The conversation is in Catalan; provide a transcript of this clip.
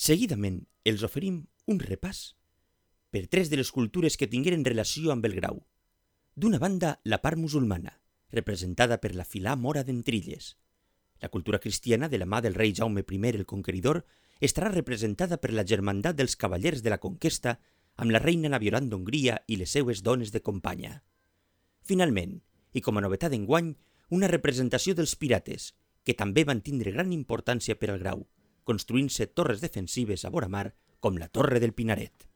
Seguidament els oferim un repàs per tres de les cultures que tingueren relació amb el Grau. D'una banda, la part musulmana, representada per la filà mora d'Entrilles. La cultura cristiana, de la mà del rei Jaume I el Conqueridor, estarà representada per la germandat dels cavallers de la conquesta amb la reina Naviolant d'Hongria i les seues dones de companya. Finalment, i com a novetat d'enguany, una representació dels pirates, que també van tindre gran importància per al Grau, construint-se torres defensives a vora mar com la Torre del Pinaret.